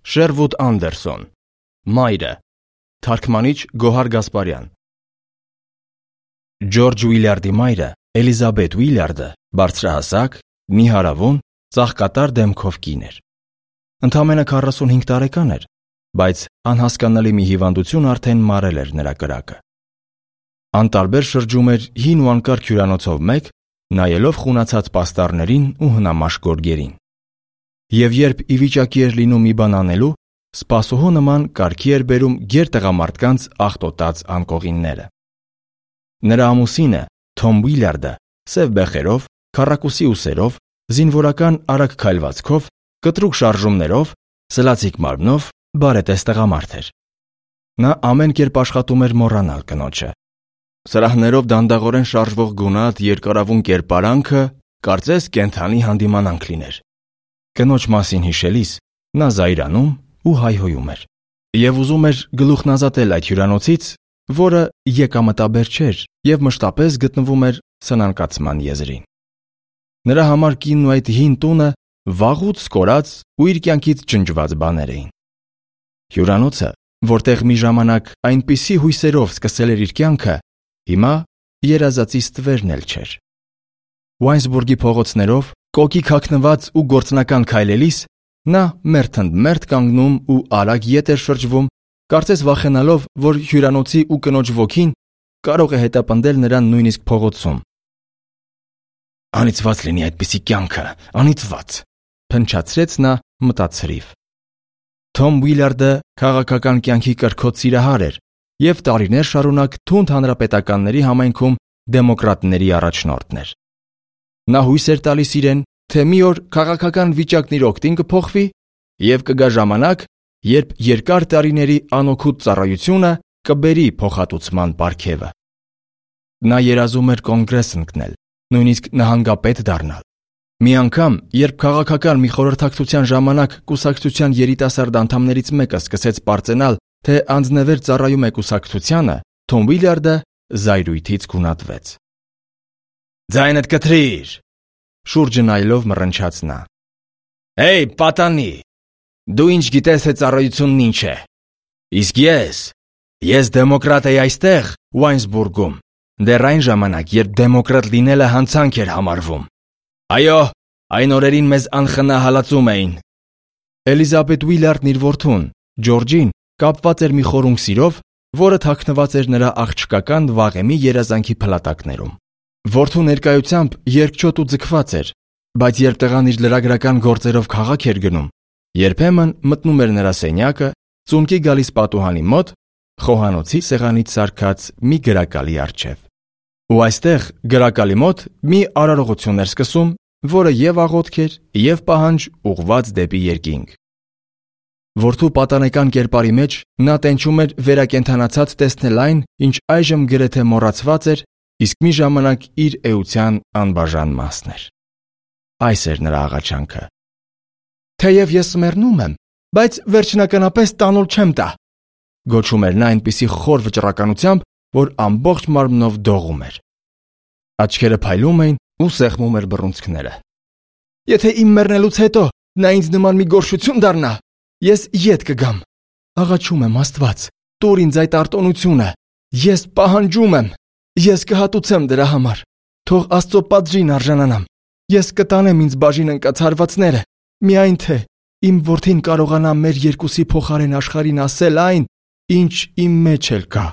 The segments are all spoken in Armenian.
Շերվուդ Անդերսոն, Մայրը, թարգմանիչ Գոհար Գասպարյան։ Ջորջ Ուիլյարդի մայրը, Էլիզաբեթ Ուիլյարդը, բարձրահասակ, նիհարավուն, ծաղկատար դեմքով կին էր։ Ընդամենը 45 տարեկան էր, բայց անհասկանալի մի հիվանդություն արդեն մարել էր նրա կրակը։ Անտարբեր շրջում էր հին ու անկարգ հյուրանոցով մեկ, նայելով խունացած պաստառներին ու հնամաշ գորգերին։ Եվ երբ ի վիճակի էր լինում մի բան անելու, սպասուհու նման կարգի էր բերում գեր տղամարդկանց աղտոտած անկողինները։ Նրա ամուսինը, Թոմ Ուիլյարդը, սև բեխերով, քառակուսի ուսերով, զինվորական արագ քայլվածքով, կտրուկ շարժումներով, սլացիկ մարմնով, բարետես տղամարդ էր։ Նա ամեն կերպ աշխատում էր մոռանալ կնոջը։ Սրահներով դանդաղորեն շարժվող գունատ երկարավուն կերպարանքը կարծես կենդանի հանդիմանանք լիներ։ Կնոջ մասին հիշելիս նա զայրանում ու հայհոյում էր և ուզում էր գլուխն ազատել այդ հյուրանոցից, որը եկամտաբեր չէր և մշտապես գտնվում էր սնանկացման եզրին։ Նրա համար կինն ու այդ հին տունը վաղուց սկորած ու իր կյանքից ջնջված բաներ էին։ Հյուրանոցը, որտեղ մի ժամանակ այնպիսի հույսերով սկսել էր իր կյանքը, հիմա երազածի ստվերն էլ չէր։ Ուայնսբուրգի փողոցներով կոկիկ հագնված ու գործնական քայլելիս նա մերթընդմերթ կանգնում ու արագ ետ էր շրջվում, կարծես վախենալով, որ հյուրանոցի ու կնոջ ոգին կարող է հետապնդել նրան նույնիսկ փողոցում։ Անիծված լինի այդպիսի կյանքը, անիծված, փնչացրեց նա մտածրիվ։ Թոմ Ուիլյարդը քաղաքական կյանքի կրքոտ սիրահար էր և տարիներ շարունակ թունդ հանրապետականների համայնքում դեմոկրատների առաջնորդն էր։ Նա հույս էր տալիս իրեն, թե մի օր քաղաքական վիճակն իր օգտին կփոխվի և կգա ժամանակ, երբ երկար տարիների անօգուտ ծառայությունը կբերի փոխհատուցման պարգևը։ Նա երազում էր կոնգրես ընկնել, նույնիսկ նահանգապետ դառնալ։ Մի անգամ, երբ քաղաքական մի խորհրդակցության ժամանակ կուսակցության երիտասարդ անդամներից մեկը սկսեց պարծենալ, թե անձնևեր ծառայում է կուսակցությանը, Թոմ Ուիլյարդը զայրույթից գունատվեց։ «Ձայնդ կտրիր», շուրջը նայելով մռնչաց նա։ «Հեյ, պատանի, դու ինչ գիտես, թե ծառայությունն ինչ է։ Իսկ ես դեմոկրատ էի այստեղ, Ուայնսբուրգում, դեռ այն ժամանակ, երբ դեմոկրատ լինելը հանցանք էր համարվում։ Այո, այն օրերին մեզ անխնա հալածում էին»։ Էլիզաբեթ Ուիլյարդն իր որդուն, Ջորջին, կապված էր մի խորունգ սիրով, որը թաքնված էր նրա աղջկական վաղեմի երազանքի փլատակներում։ Որդու ներկայությամբ երկչոտ ու ձգված էր, բայց երբ տղան իր լրագրական գործերով քաղաք էր գնում, երբեմն մտնում էր նրա սենյակը, ծունկի գալիս պատուհանի մոտ, խոհանոցի սեղանից սարքած մի գրակալի առջև։ Ու այստեղ գրակալի մոտ մի արարողություն էր սկսում, որը և աղոթք էր, և պահանջ ուղղված դեպի երկինք։ Որդու պատանեկան կերպարի մեջ նա տենչում էր վերակենդանացած տեսնել այն, ինչ այժմ գրեթե մոռացված էր, իսկ մի ժամանակ իր էության անբաժան մասն էր։ Այս էր նրա աղաչանքը։ «Թեև ես մեռնում եմ, բայց վերջնականապես տանուլ չեմ տա», գոչում էր նա այնպիսի խոր վճռականությամբ, որ ամբողջ մարմնով դողում էր։ Աչքերը փայլում էին ու սեղմում էր բռունցքները։ «Եթե իմ մեռնելուց հետո նա ինձ նման մի գորշություն դառնա, ես ետ կգամ։ Աղաչում եմ, Աստված, տուր ինձ այդ արտոնությունը։ Ես պահանջում եմ։ Ես կհատուցեմ դրա համար։ Թող Աստծո պատժին արժանանամ։ Ես կտանեմ ինձ բաժին ընկած հարվածները, միայն թե իմ որդին կարողանա մեր երկուսի փոխարեն աշխարհին ասել այն, ինչ իմ մեջ էլ կա»։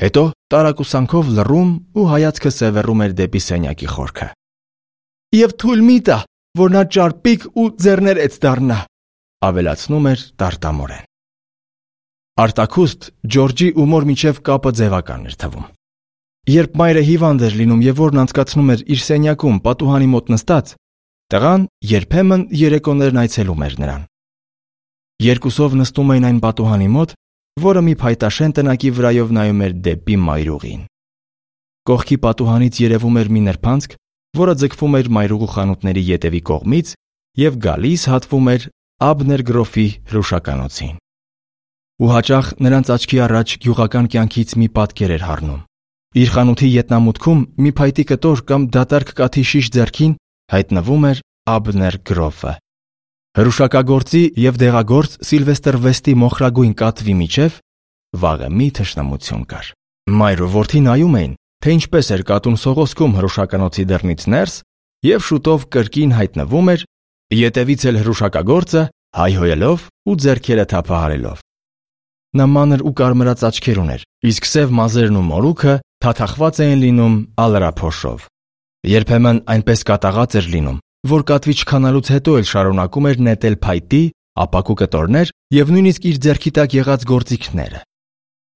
Հետո տարակուսանքով լռում ու հայացքը սևեռում էր դեպի սենյակի խորքը։ «Եվ թույլ մի տա, որ նա ճարպիկ ու ձեռներեց դառնա», ավելացնում էր տարտամորեն։ Արտաքուստ Ջորջի ու մոր միջև կապը ձևական էր թվում։ Երբ մայրը հիվանդ էր լինում և որն անցկացնում էր իր սենյակում պատուհանի մոտ նստած, տղան երբեմն երեկոներն այցելում էր նրան։ Երկուսով նստում էին այն պատուհանի մոտ, որը մի փայտաշեն տնակի վրայով նայում էր դեպի մայրուղին։ Կողքի պատուհանից երևում էր մի նրբանցք, որը ձգվում էր մայրուղու խանութների ետևի կողմից և գալիս հատվում էր Աբներ գրոֆի հրուշականոցին։ Ու հաճախ նրանց աչքի առաջ գյուղական կյանքից մի պատկեր էր հառնում։ Իր խանութի ետնամուտքում մի փայտի կտոր կամ դատարկ կաթի շիշ ձեռքին հայտնվում էր Աբներ գրոֆը։ Հրուշակագործի եւ դեղագործ Սիլվեստր Վեսթի մոխրագույն կատվի միջև վաղեմի թշնամություն կար։ Մայր ու որդի նայում էին, թե ինչպես էր կատուն սողոսկում հրուշականոցի դռնից ներս եւ շուտով կրկին հայտնվում էր, ետևից էլ հրուշակագործը հայհոյելով ու ձեռքերը թափահարելով։ Նա մանր ու կարմրած աչքեր ուներ, իսկ սև մազերն ու մորուքը թաթախված էին լինում ալրափոշով։ Երբեմն այնպես կատաղած էր լինում, որ կատվի չքանալուց հետո էլ շարունակում էր նետել փայտի, ապակու կտորներ եւ նույնիսկ իր ձեռքի տակ եղած գործիքները։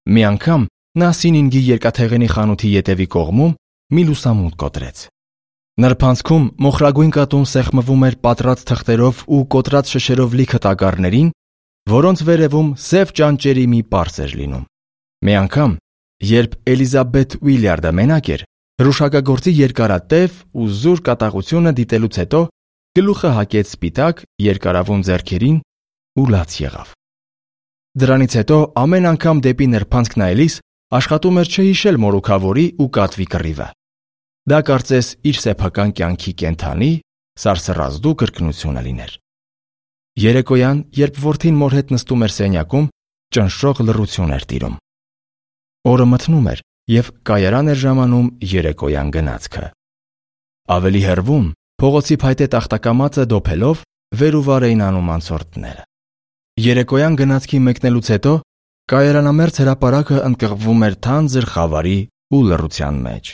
Մի անգամ նա Սինինգի երկաթեղենի խանութի ետևի կողմում մի լուսամուտ կոտրեց։ Նրբանցքում մոխրագույն կատուն սեղմվում էր պատրած թղթերով ու կոտրած շշերով լիքը տակառներին, որոնց վերևում սև ճանճերի մի պարզ էր լինում։ Մի անգամ, երբ Էլիզաբեթ Ուիլյարդը մենակ էր, հրուշակագործի երկարատև ու զուր կատաղությունը դիտելուց հետո գլուխը հակեց սպիտակ երկարավուն ձեռքերին ու լաց եղավ։ Դրանից հետո ամեն անգամ դեպի նրբանցք նայելիս աշխատում էր չհիշել մորուքավորի ու կատվի կռիվը։ Դա կարծես իր սեփական կյանքի կենթանի սարսռազդու կրկնությունը լիներ։ Երեկոյան, երբ որդին մոր հետ նստում էր սենյակում, ճնշող լռություն էր տիրում։ Օրը մթնում էր եւ կայարան էր ժամանում երեկոյան գնացքը։ Ավելի հեռվում փողոցի փայտե տախտակամածը դոփելով վեր ու վար էին անում անցորդները։ Երեկոյան գնացքի մեկնելուց հետո կայարանամերձ հրապարակը ընկղվում էր թանձր խավարի ու լռության մեջ։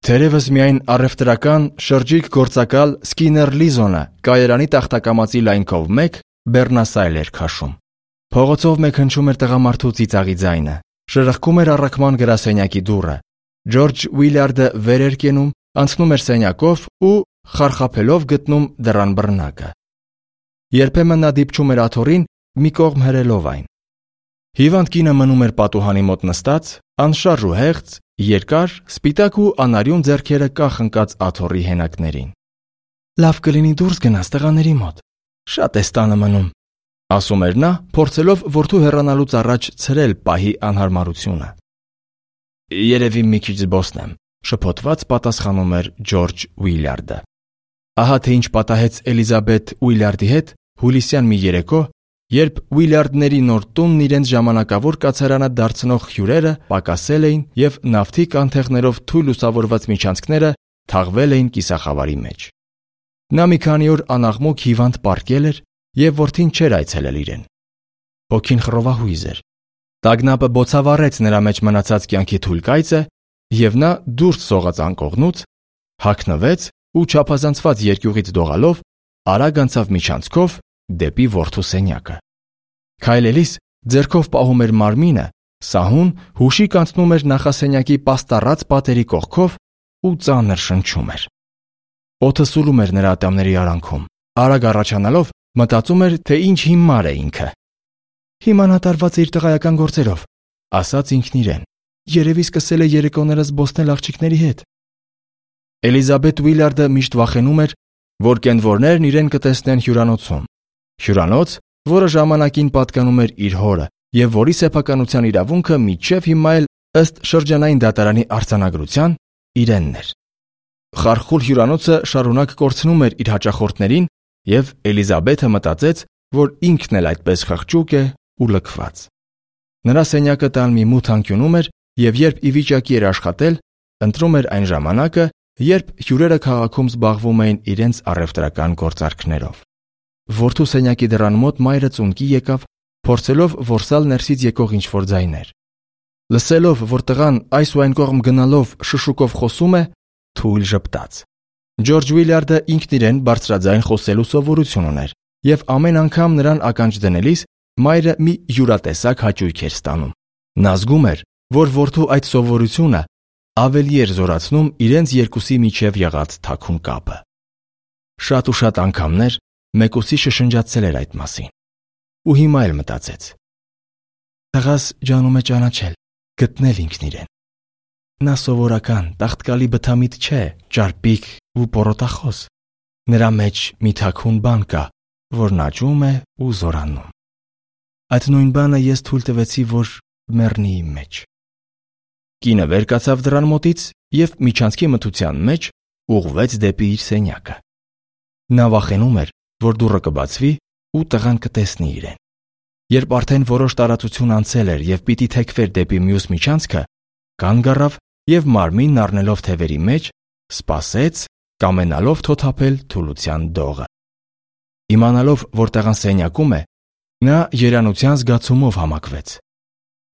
Թերևս միայն առևտրական շրջիկ գործակալ Սկիներ Լիզոնը կայարանի տախտակամածի լայնքով մեկ բեռնասայլ էր քաշում։ Փողոցով մեկ հնչում էր տղամարդու ծիծաղի ձայնը, շրխկում էր առաքման գրասենյակի դուռը։ Ջորջ Ուիլյարդը վեր էր կենում, անցնում էր սենյակով ու խարխափելով գտնում դռան բռնակը։ Երբեմն նա դիպչում էր աթոռին, մի կողմ հրելով այն։ Հիվանդ կինը մնում էր պատուհանի մոտ նստած, անշարժ ու հեղձ, երկար, սպիտակ ու անարյուն ձեռքերը կախ ընկած աթոռի հենակներին։ Լավ կլինի դուրս գնաս տղաների մոտ։ Շատ է տանը մնում, ասում էր նա, փորձելով որդու հեռանալուց առաջ ցրել պահի անհարմարությունը։ Երևի մի քիչ զբոսնեմ, շփոթված պատասխանում էր Ջորջ Ուիլյարդը։ Ահա թե ինչ պատահեց Էլիզաբեթ Ուիլյարդի հետ հուլիսյան մի երեկո, երբ Ուիլյարդների նոր տունն իրենց ժամանակավոր կացարանը դարձնող հյուրերը պակասել էին եւ նավթի կանթեղներով թույլ լուսավորված միջանցքները թաղվել էին կիսախավարի մեջ։ Նա մի քանի օր անաղմուկ հիվանդ պառկել էր եւ որդին չէր այցելել իրեն։ Հոգին խռովահույզ էր։ Տագնապը բոցավառեց նրա մեջ մնացած կյանքի թույլ կայծը եւ նա դուրս սողաց անկողնուց, հագնվեց ու չափազանցված երկյուղից դողալով արագ անցավ միջանցքով դեպի որդու սենյակը։ Քայլելիս ձեռքով պահում էր մարմինը, սահուն հուշիկ անցնում էր նախասենյակի պաստառած պատերի կողքով ու ծանր շնչում էր։ Օդը սուլում էր նրա ատամների արանքում։ Արագ առաջանալով մտածում էր, թե ինչ հիմար է ինքը։ Հիմա նա տարված է իր տղայական գործերով, ասաց ինքն իրեն։ Երևի սկսել է երեկոները զբոսնել աղջիկների հետ։ Էլիզաբեթ Ուիլյարդը միշտ վախենում էր, որ կենվորներն իրեն կտեսնեն հյուրանոցում։ Հյուրանոց, որը ժամանակին պատկանում էր իր հորը եւ որի սեփականության իրավունքը մինչեւ հիմա էլ ըստ շրջանային դատարանի արձանագրության իրենն էր։ Խարխուլ հյուրանոցը շարունակ կորցնում էր իր հաճախորդներին եւ Էլիզաբեթը մտածեց, որ ինքն էլ այդպես խղճուկ է ու լքված։ Նրա սենյակը տան մի մութ անկյունում էր եւ երբ ի վիճակի էր աշխատել, ընտրում էր այն ժամանակը, երբ հյուրերը քաղաքում զբաղվում էին իրենց առևտրական գործարքներով։ Որդու սենյակի դռան մոտ մայրը ծունկի եկավ, փորձելով որսալ ներսից եկող ինչ-որ ձայներ։ Լսելով, որ տղան այս ու այն կողմ գնալով շշուկով խոսում է, թույլ ժպտաց։ Ջորջ Ուիլյարդը ինքն իրեն բարձրաձայն խոսելու սովորություն ուներ եւ ամեն անգամ նրան ականջ դնելիս մայրը մի յուրատեսակ հաճույք էր ստանում։ Նա զգում էր, որ որդու այդ սովորությունը ավելի էր զորացնում իրենց երկուսի միջև եղած թաքուն կապը։ Շատ ու շատ անգամներ մեկուսի շշնջացել էր այդ մասին։ Ու հիմա էլ մտածեց. տղաս ջանում է ճանաչել, գտնել ինքն իրեն։ Նա սովորական, տաղտկալի բթամիտ չէ, ճարպիկ ու պորոտախոս։ Նրա մեջ մի թաքուն բան կա, որն աճում է ու զորանում։ Այդ նույն բանը ես թույլ տվեցի, որ մեռնի իմ մեջ։ Կինը վեր կացավ դռան մոտից եւ միջանցքի մթության մեջ ուղղվեց դեպի իր սենյակը։ Նա վախենում էր, որ դուռը կբացվի ու տղան կտեսնի իրեն։ Երբ արդեն որոշ տարածություն անցել էր եւ պիտի թեքվեր դեպի մյուս միջանցքը, կանգ առավ եւ մարմինն առնելով թևերի մեջ, սպասեց, կամենալով թոթափել թուլության դողը։ Իմանալով, որ տղան սենյակում է, նա երանության զգացումով համակվեց։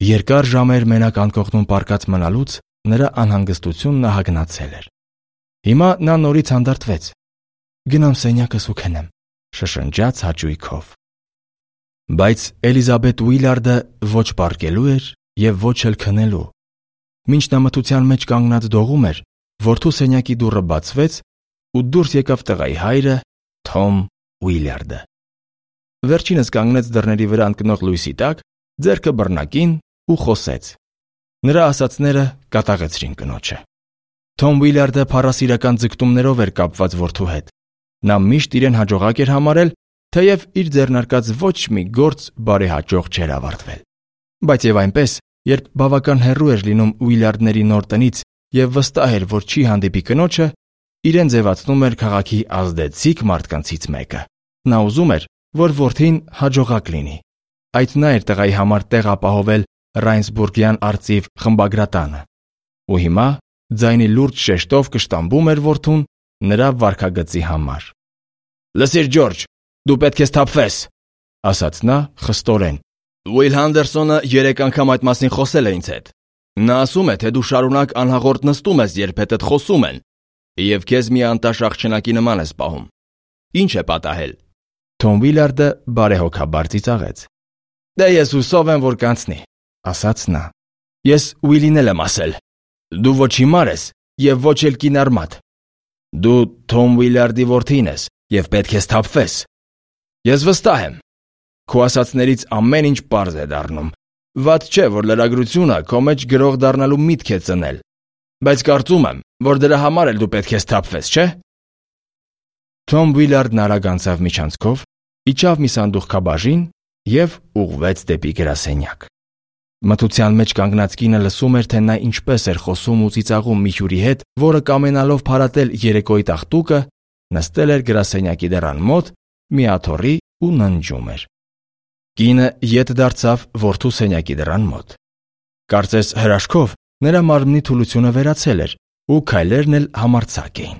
Երկար ժամեր մենակ անկողնում պառկած մնալուց նրա անհանգստությունն ահագնացել էր։ Հիմա նա նորից հանդարտվեց։ Գնամ սենյակս ու քնեմ, շշնջաց հաճույքով։ Բայց Էլիզաբետ Ուիլարդը ոչ պառկելու էր եւ ոչ էլ քնելու։ Մինչ նա մթության մեջ կանգնած դողում էր, որդու սենյակի դուռը բացվեց ու դուրս եկավ տղայի հայրը Թոմ Ուիլարդը։ Վերջինս կանգնեց դռների վրա ընկնող լույսի տակ, ձեռքը բռնակին ու խոսեց։ Նրա ասածները կատաղեցրին կնոջը։ Թոմ Ուիլարդը փառասիրական ձգտումներով էր կապված որդու հետ։ Նա միշտ իրեն հաջողակ էր համարել, թեև իր ձեռնարկած ոչ մի գործ բարեհաջող չէր ավարտվել։ Բայց եւ այնպես, երբ բավական հեռու էր լինում Ուիլարդների նոր տնից եւ վստահ էր, որ չի հանդիպի կնոջը, իրեն ձևացնում էր քաղաքի ազդեցիկ մարդկանցից մեկը։ Նա ուզում էր, որ որդին հաջողակ լինի։ Այդ նա էր տղայի համար տեղ ապահովել Ռայնսբուրգյան արծիվ խմբագրատանը։ Ու հիմա ձայնի լուրջ շեշտով կշտամբում էր որդուն նրա վարքագծի համար։ «Լսիր, Ջորջ, դու պետք է սթափվես», ասաց նա խստորեն։ «Ուիլ Հանդերսոնը 3 անգամ այդ մասին խոսել է ինձ հետ։ Նա ասում է, թե դու շարունակ անհաղորդ նստում ես, երբ հետդ խոսում են, եւ քեզ մի անտաշ աղջնակի նման ես պահում։ Ինչ է պատահել»։ Թոմ Ուիլարդը բարեհոգաբար ծիծաղեց։ «Դե ես հուսով եմ, որ կանցնի», ասաց նա։ «Ես Ուիլին էլ եմ ասել։ Դու ոչ հիմար ես եւ ոչ էլ կինարմատ։ Դու Թոմ Ուիլարդի որդին ես եւ պետք է սթափվես։ Ես վստահ եմ։ Քո ասածներից ամեն ինչ պարզ է դառնում։ Վատ չէ, որ լրագրությունը քո մեջ գրող դառնալու միտք է ծնել։ Բայց կարծում եմ, որ դրա համար էլ դու պետք է սթափվես, չէ՞։ Թոմ Ուիլարդն արագ անցավ միջանցքով, իջավ մի սանդուղքաբաժին եւ ուղղվեց դեպի գրասենյակ։ Մթության մեջ կանգնած կինը լսում էր, թե նա ինչպես էր խոսում ու ծիծաղում մի հյուրի հետ, որը կամենալով փարատել երեկոյի տաղտուկը, նստել էր գրասենյակի դռան մոտ, մի աթոռի ու ննջում էր։ Կինը ետ դարձավ որդու սենյակի դռան մոտ։ Կարծես հրաշքով նրա մարմնի թուլությունը վերացել էր ու քայլերն էլ համարձակ էին։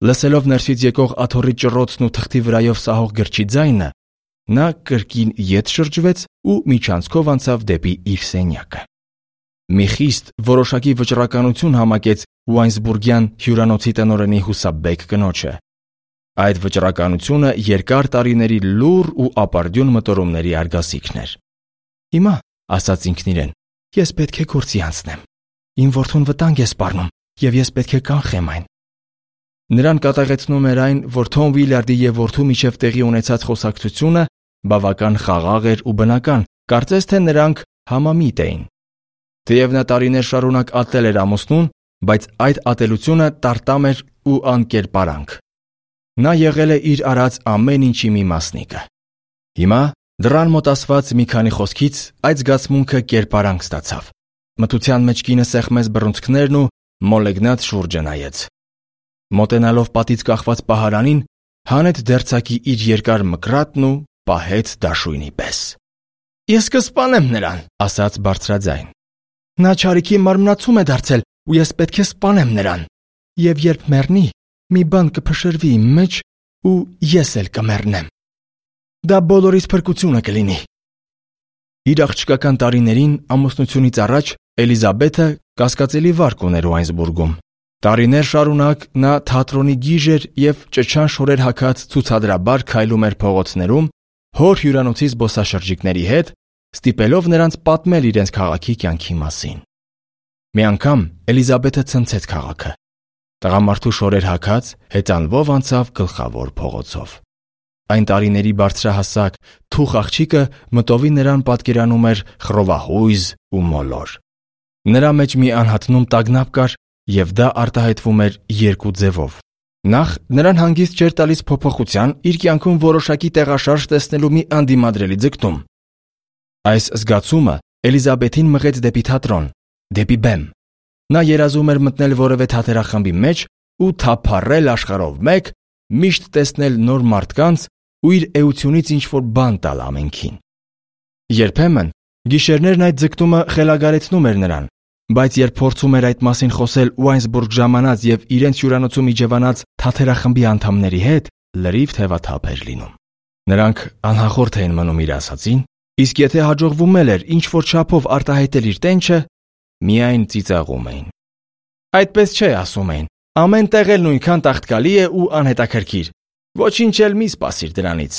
Լսելով ներսից եկող աթոռի ճռոցն ու թղթի վրայով սահող գրչի ձայնը, նա կրկին ետ շրջվեց ու միջանցքով անցավ դեպի իր սենյակը։ Մի խիստ որոշակի վճռականություն համակեց Ուայնսբուրգյան հյուրանոցի տնօրենի հուսաբեկ կնոջը։ Այդ վճռականությունը երկար տարիների լուռ ու ապարդյուն մտորումների արգասիքն էր։ Հիմա, ասաց ինքն իրեն, ես պետք է գործի անցնեմ։ Իմ որդուն վտանգ է սպառնում եւ ես պետք է կանխեմ այն։ Նրան կատաղեցնում էր այն, որ Թոմ Ուիլարդի եւ որդու միջև տեղի ունեցած խոսակցությունը բավական խաղաղ էր ու բնական, կարծես թե նրանք համամիտ էին։ Թեև նա տարիներ շարունակ ատել էր ամուսնուն, բայց այդ ատելությունը տարտամ էր ու անկերպարանք։ Նա եղել է իր արած ամեն ինչի մի մասնիկը։ Հիմա դռան մոտ ասված մի քանի խոսքից այդ զգացմունքը կերպարանք ստացավ։ Մթության մեջ կինը սեղմեց բռունցքներն ու մոլեգնած շուրջը նայեց։ Մոտենալով պատից կախված պահարանին, հանեց դերձակի իր երկար մկրատն ու պահեց դաշույնի պես։ «Ես կսպանեմ նրան», ասաց բարձրաձայն։ «Նա չարիքի մարմնացում է դարձել ու ես պետք է սպանեմ նրան։ Եվ երբ մեռնի, մի բան կփշրվի իմ մեջ ու ես էլ կմեռնեմ։ Դա բոլորիս փրկությունը կլինի»։ Իր աղջկական տարիներին ամուսնությունից առաջ Էլիզաբեթը կասկածելի վարք ուներ Ուայնսբուրգում։ Տարիներ շարունակ նա թատրոնի գիժ էր եւ ճչան շորեր հագած ցուցադրաբար քայլում էր փողոցներում հոր հյուրանոցի զբոսաշրջիկների հետ, ստիպելով նրանց պատմել իրենց քաղաքի կյանքի մասին։ Մի անգամ Էլիզաբեթը ցնցեց քաղաքը։ Տղամարդու շորեր հագած հեծանվով անցավ գլխավոր փողոցով։ Այն տարիների բարձրահասակ թուխ աղջիկը մտովի նրան պատկերանում էր խռովահույզ ու մոլոր։ Նրա մեջ մի անհատնում տագնապ կար եւ դա արտահայտվում էր երկու ձևով։ Նախ նրան հանգիստ չէր տալիս փոփոխության իր կյանքում որոշակի տեղաշարժ տեսնելու մի անդիմադրելի ձգտում։ Այս զգացումը Էլիզաբեթին մղեց դեպի թատրոն, դեպի բեմ։ Նա երազում էր մտնել որևէ թատերախմբի մեջ ու թափառել աշխարհով մեկ, միշտ տեսնել նոր մարդկանց ու իր էությունից ինչ-որ բան տալ ամենքին։ Երբեմն գիշերներն այդ ձգտումը խելագարեցնում էր նրան, բայց երբ փորձում էր այդ մասին խոսել Ուայնսբուրգ ժամանած եւ իրենց հյուրանոցում իջևանած թաթերախմբի անդամների հետ, լրիվ թևաթափ էր լինում։ Նրանք անհախորդ էին մնում իր ասածին, իսկ եթե հաջողվում էր ինչ-որ չափով արտահայտել իր տենչը, միայն ծիծաղում էին։ Այդպես չէ, ասում էին, ամեն տեղ էլ նույնքան տաղտկալի է ու անհետաքրքիր, ոչինչ էլ մի սպասիր դրանից։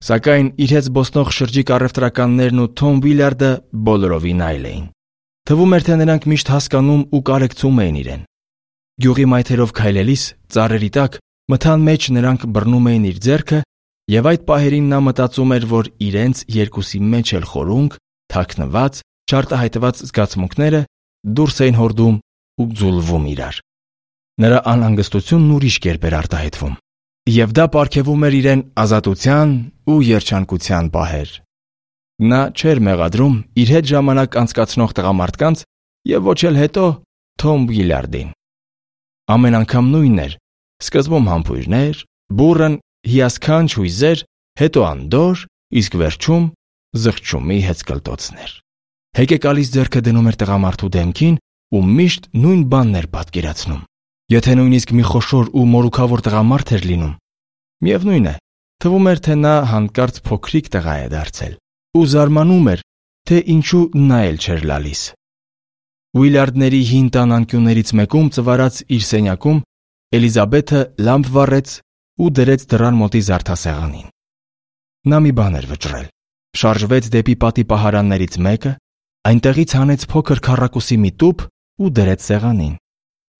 Սակայն իր հետ զբոսնող շրջիկ առևտրականներն ու Թոմ Ուիլյարդը բոլորովին այլ էին։ Թվում էր, թե նրանք միշտ հասկանում ու կարեկցում էին իրեն։ Գյուղի մայթերով քայլելիս ծառերի տակ մթան մեջ նրանք բռնում էին իր ձեռքը, եւ այդ պահերին նա մտածում էր, որ իրենց երկուսի մեջ էլ խորունգ, թաքնված, չարտահայտված զգացմունքները դուրս էին հորդում ու ձուլվում իրար։ Նրա անհանգստությունն ուրիշ կերպ էր արտահայտվում, եւ դա պարգևում էր իրեն ազատության ու երջանկության պահեր։ Նա չէր մեղադրում իր հետ ժամանակ անցկացնող տղամարդկանց եւ ոչ էլ հետո Թոմ Ուիլյարդին։ Ամեն անգամ նույնն էր. սկզբում համբույրներ, բուռն, հիասքանչ հույզեր, հետո անդոր, իսկ վերջում զղջումի հեծկլտոցներ։ Հեկեկալից ձեռքը դնում էր տղամարդու դեմքին ու միշտ նույն բանն էր պատկերացնում։ Եթե նույնիսկ մի խոշոր ու մորուքավոր տղամարդ էր լինում, միևնույն է, թվում էր, թե նա հանկարծ փոքրիկ տղա է դարձել ու զարմանում էր, թե ինչու նա էլ չէր լալիս։ Ուիլյարդների հին տան անկյուններից մեկում ծվարած իր սենյակում Էլիզաբեթը լամպ վառեց ու դրեց դռան մոտի զարդասեղանին։ Նա մի բան էր վճռել, շարժվեց դեպի պատի պահարաններից մեկը, այնտեղից հանեց փոքր քառակուսի մի տուփ ու դրեց սեղանին։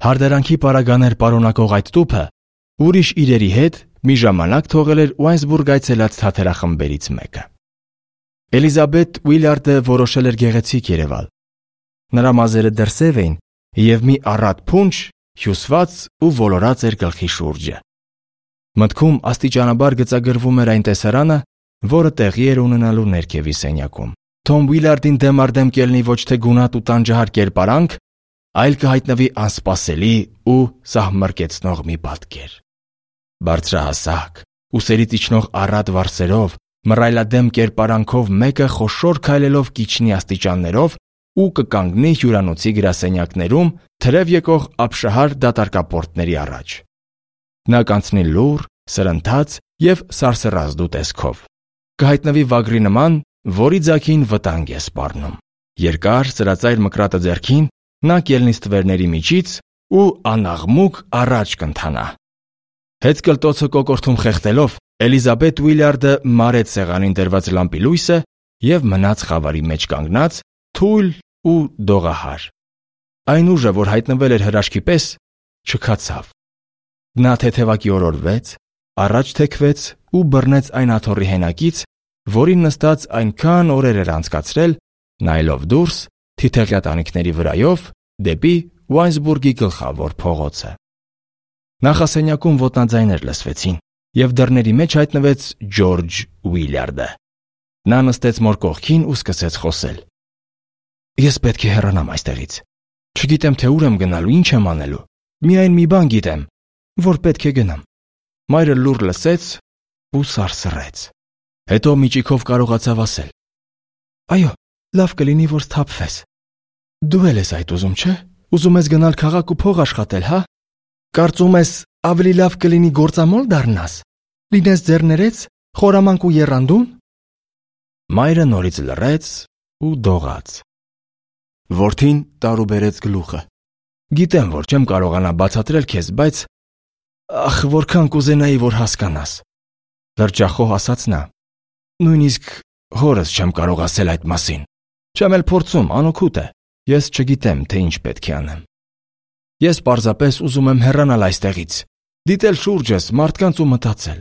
Հարդարանքի պարագաներ պարունակող այդ տուփը ուրիշ իրերի հետ մի ժամանակ թողել էր Ուայնսբուրգ այցելած թաթերախմբերից մեկը։ Էլիզաբեթ Ուիլյարդը որոշել էր գեղեցիկ երևալ։ Նրա մազերը դրսև էին եւ մի առատ փունջ հյուսված ու ոլորած էր գլխի շուրջը։ Մտքում աստիճանաբար գծագրվում էր այն տեսարանը, որը տեղի էր ունենալու ներքևի սենյակում։ Թոմ Ուիլյարդին դեմ առ դեմ կելնի ոչ թե գունատ ու տանջահար կերպարանք, այլ կհայտնվի անսպասելի ու սահմռկեցնող մի պատկեր։ Բարձրահասակ, ուսերից իջնող առատ վարսերով, մռայլադեմ կերպարանքով մեկը խոշոր քայլելով կիջնի աստիճաններով ու կկանգնի հյուրանոցի գրասենյակներում թրև եկող ապշահար դատարկապորտների առաջ։ Նա կանցնի լուռ, սրընթաց եւ սարսռազդու տեսքով։ Կհայտնվի վագրի նման, որի ձագին վտանգ է սպառնում։ Երկար սրածայր մկրատը ձեռքին նա կելնի ստվերների միջից ու անաղմուկ առաջ կընթանա։ Հեծկլտոցը կոկորթում խեղդելով Էլիզաբեթ Ուիլյարդը մարեց սեղանին դրված լամպի լույսը եւ մնաց խավարի մեջ կանգնած, թույլ ու դողահար։ Այն ուժը, որ հայտնվել էր հրաշքի պես, չքացավ։ Նա թեթևակի օրորվեց, առաջ թեքվեց ու բռնեց այն աթոռի հենակից, որին նստած այնքան օրեր էր անցկացրել, նայելով դուրս թիթեղյա տանիքների վրայով դեպի Ուայնսբուրգի գլխավոր փողոցը։ Նախասենյակում ոտնաձայներ լսվեցին, եւ դռների մեջ հայտնվեց Ջորջ Ուիլյարդը։ Նա նստեց մոր կողքին ու սկսեց խոսել։ Ես պետք է հեռանամ այստեղից։ Չգիտեմ, թե ուր եմ գնալու, ինչ եմ անելու։ Միայն մի բան գիտեմ, որ պետք է գնամ։ Մայրը լուռ լսեց ու սարսռեց։ Հետո միջիկով կարողացավ ասել. Այո, լավ կլինի, որ սթափվես։ Դու էլ ես այդ ուզում, չէ՞։ Ուզում ես գնալ քաղաք ու փող աշխատել, հա։ Կարծում ես ավելի լավ կլինի գործամոլ դառնաս։ Լինես ձեռներեց, խորամանկ ու եռանդուն։ Մայրը նորից լռեց ու դողաց։ Որդին տարուբերեց գլուխը։ Գիտեմ, որ չեմ կարողանա բացատրել քեզ, բայց ախ, որքան կուզենայի, որ հասկանաս։ Լրջախոհ ասաց նա։ Նույնիսկ հորս չեմ կարող ասել այդ մասին։ Չեմ էլ փորձում, անօգուտ է։ Ես չգիտեմ, թե ինչ պետք է անեմ։ Ես պարզապես ուզում եմ հեռանալ այստեղից, դիտել շուրջս, մարդկանց ու մտածել։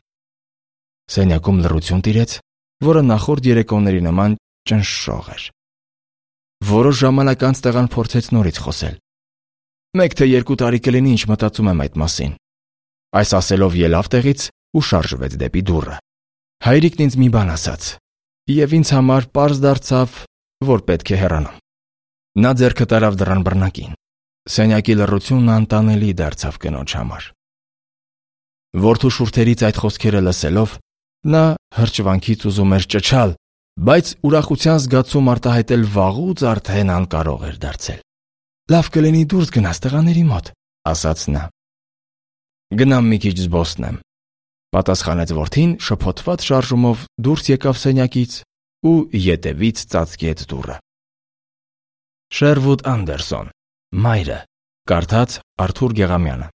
Սենյակում լռություն տիրեց, որը նախորդ երեկոների նման ճնշող էր։ Որոշ ժամանակ անց տղան փորձեց նորից խոսել։ 1 թե 2 տարի կլինի, ինչ մտածում եմ այդ մասին։ Այս ասելով ելավ տեղից ու շարժվեց դեպի դուռը։ Հայրիկն ինձ մի բան ասաց, եւ ինձ համար պարզ դարձավ, որ պետք է հեռանամ։ Նա ձեռքը տարավ դռան բռնակին։ Սենյակի լռությունն անտանելի դարձավ կնոջ համար։ Որդու շուրթերից այդ խոսքերը լսելով, Նա հրճվանքից ուզում էր ճչալ, բայց ուրախության զգացում արտահայտել վաղուց արդեն անկարող էր դարձել։ «Լավ կլինի դուրս գնաս տղաների մոտ», ասաց նա։ «Գնամ մի քիչ զբոսնեմ», պատասխանեց որդին շփոթված շարժումով դուրս եկավ սենյակից ու ետևից ծածկեց դուռը։ Շերվուդ Անդերսոն, Մայրը, կարդաց Արթուր Գեղամյանը։